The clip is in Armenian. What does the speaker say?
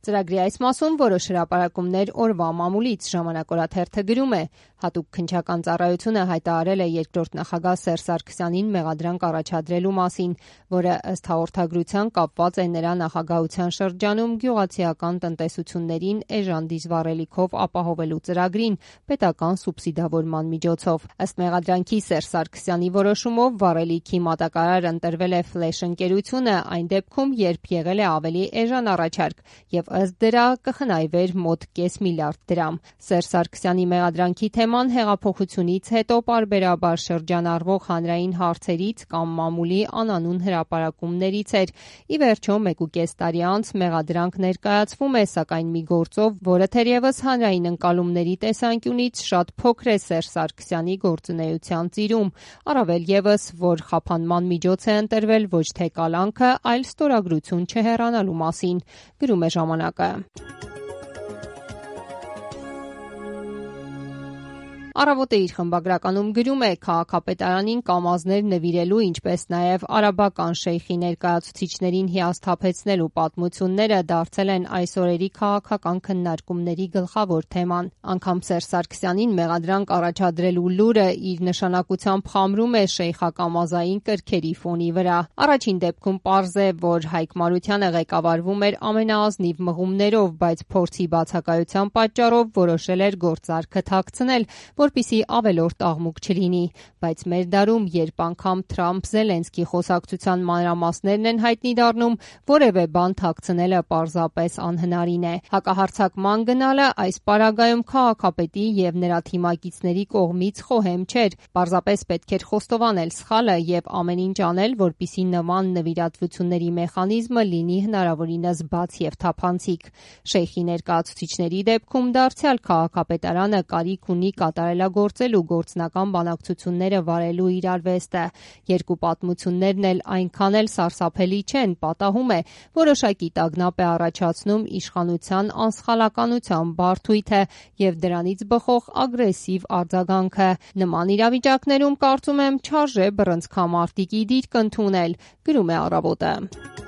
Ծրագրի այս մասում որոշ հրապարակումներ օրվա մամուլից ժամանակ օրաթերթը գրում է. հատուկ քննչական ծառայությունը հայտարարել է երկրորդ նախագահ Սերժ Սարգսյանին մեղադրանք առաջադրելու մասին, որը ըստ հաղորդագրության կապված է նրա նախագահության շրջանում գյուղացիական տնտեսություններին էժան դիզվառելիքով ապահովելու ծրագրին պետական սուբսիդավորման միջոցով։ Ըստ մեղադրանքի Սերժ Սարգսյանի որոշումով վառելիքի մատակարար ընտրվել է Ֆլեշ ընկերությունը այն դեպքում, երբ եղել է ավելի էժան առաջարկ եւ ըստ դրա կխնայվեր մոտ կես միլիարդ դրամ։ Սերժ Սարգսյանի մեղադրանքի թեման հեղափոխությունից հետո պարբերաբար շրջանառվող հանրային հարցերից կամ մամուլի անանուն հրապարակումներից էր։ Ի վերջո 1.5 տարի անց մեղադրանք ներկայացվում է, սակայն մի գործով, որը թերևս հանրային ընկալումների տեսանկյունից շատ փոքր է Սերժ Սարգսյանի գործունեության ծիրում, առավել ևս, որ խափանման միջոց է ընտրվել ոչ թե կալանքը, այլ ստորագրություն չհեռանալու մասին, գրում է ժամանակը։ Առավոտը իր խմբագրականում գրում է. քաղաքապետարանին կամազներ նվիրելու, ինչպես նաև արաբական շեյխի ներկայացուցիչներին հիասթափեցնելու պատմությունները դարձել են այս օրերի քաղաքական քննարկումների գլխավոր թեման։ Անգամ Սերժ Սարգսյանին մեղադրանք առաջադրելու լուրը իր նշանակությամբ խամրում է շեյխակամազային կրքերի ֆոնի վրա։ Առաջին դեպքում պարզ է, որ Հայկ Մարությանը ղեկավարվում էր ամենաազնիվ մղումներով, բայց փորձի բացակայության պատճառով որոշել էր գործարքը թաքցնել, որպեսզի ավելորդ աղմուկ չլինի, բայց մեր դարում, երբ անգամ Թրամփ-Զելենսկի խոսակցության մանրամասներն են հայտնի դառնում, որևէ բան թաքցնելը պարզապես անհնարին է։ Հակահարձակման գնալը այս պարագայում քաղաքապետի եւ նրա թիմակիցների կողմից խոհեմ չէր, պարզապես պետք էր խոստովանել սխալը եւ ամեն ինչ անել, որպեսզի նման նվիրատվությունների մեխանիզմը լինի հնարավորինս բաց եւ թափանցիկ։ Շեյխի ներկայացուցիչների դեպքում դարձյալ քաղաքապետարանը կարիք ունի կատարելագործելու գործնական բանակցությունները վարելու իր արվեստը։ Երկու պատմություններն էլ այնքան էլ սարսափելի չեն, պատահում է, որոշակի տագնապ է առաջացնում իշխանության անսխալականության բարդույթը եւ դրանից բխող ագրեսիվ արձագանքը։ Նման իրավիճակներում կարծում եմ չարժե բռնցքամարտիկի դիրք ընդունել, գրում է Առավոտը։